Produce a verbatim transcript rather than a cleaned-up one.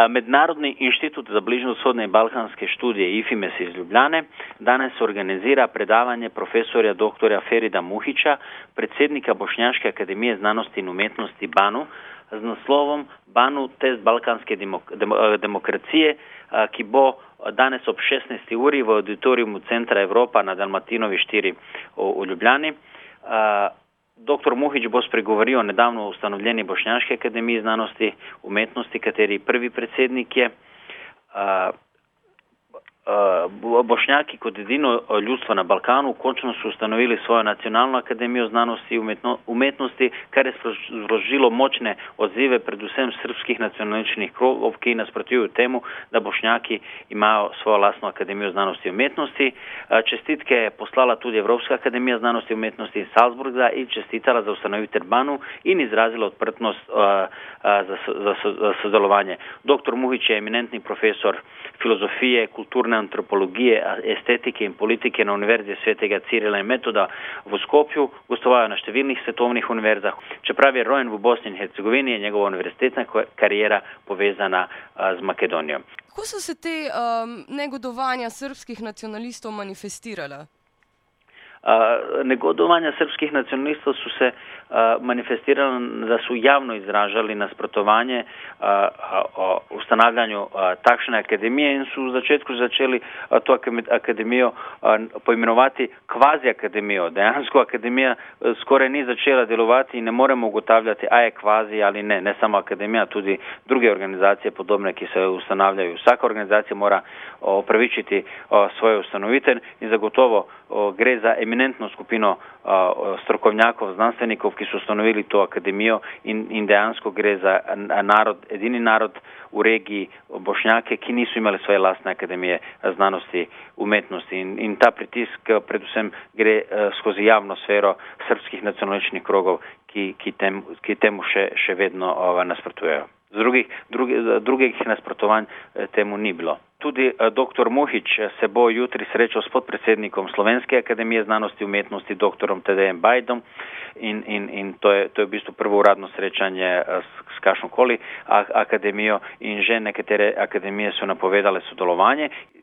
Mednarodni inštitut za bližnjovzhodne in balkanske študije IFIMES iz Ljubljane danes organizira predavanje profesorja doktorja Ferida Muhića, predsednika Bošnjaške akademije znanosti in umetnosti BANU, z naslovom BANU test balkanske demokracije, ki bo danes ob šestnajsti uri v auditoriumu Centra Evropa na Dalmatinovi štiri v Ljubljani. Doktor Muhić bo spregovoril o nedavno ustanovljeni Bošnjaški akademiji znanosti umetnosti, kateri prvi predsednik je. Bošnjaki kot edino ljudstvo na Balkanu končno so ustanovili svojo nacionalno akademijo znanosti in umetnosti, kar je sprožilo močne odzive predvsem srpskih nacionalističnih krogov, ki nasprotujejo temu, da Bošnjaki imajo svojo lastno akademijo znanosti in umetnosti. Čestitke je poslala tudi Evropska akademija znanosti in umetnosti iz Salzburga in čestitala za ustanovitev BANU in izrazila odprtnost za, za, za sodelovanje. Doktor Muhić je eminentni profesor filozofije, kulturne antropologije, estetike in politike na Univerzi svetega Cirila in Metoda v Skopju, gostoval je na številnih svetovnih univerzah. Čeprav je rojen v Bosni in Hercegovini, je njegova univerzitetna karijera povezana z Makedonijo. Kako so se te um, negodovanja srpskih nacionalistov manifestirala? Uh, negodovanja srpskih nacionalistov so se uh, manifestirali, da so javno izražali nasprotovanje uh, o ustanavljanju uh, takšne akademije in so v začetku začeli uh, to akademijo uh, poimenovati kvazi akademijo. Dejansko akademija uh, skoraj ni začela delovati in ne moremo ugotavljati, a je kvazi ali ne. Ne samo akademija, tudi druge organizacije podobne, ki se ustanavljajo. Vsaka organizacija mora uh, opravičiti uh, svoje ustanovitelj in zagotovo uh, gre za eminentno skupino uh, strokovnjakov, znanstvenikov, ki so ustanovili to akademijo in, in dejansko gre za narod, edini narod v regiji Bošnjake, ki niso imeli svoje lastne akademije znanosti umetnosti. In, in ta pritisk predvsem gre uh, skozi javno sfero srpskih nacionalističnih krogov, ki, ki, tem, ki temu še, še vedno uh, nasprotujejo. Z drugih, drugi, drugih nasprotovanj temu ni bilo. Tudi doktor Muhić se bo jutri srečal s podpredsednikom Slovenske akademije znanosti in umetnosti, doktorom Tadejem Bajdom in, in, in to, je, to je v bistvu prvo uradno srečanje s, s kakšnokoli akademijo in že nekatere akademije so napovedale sodelovanje.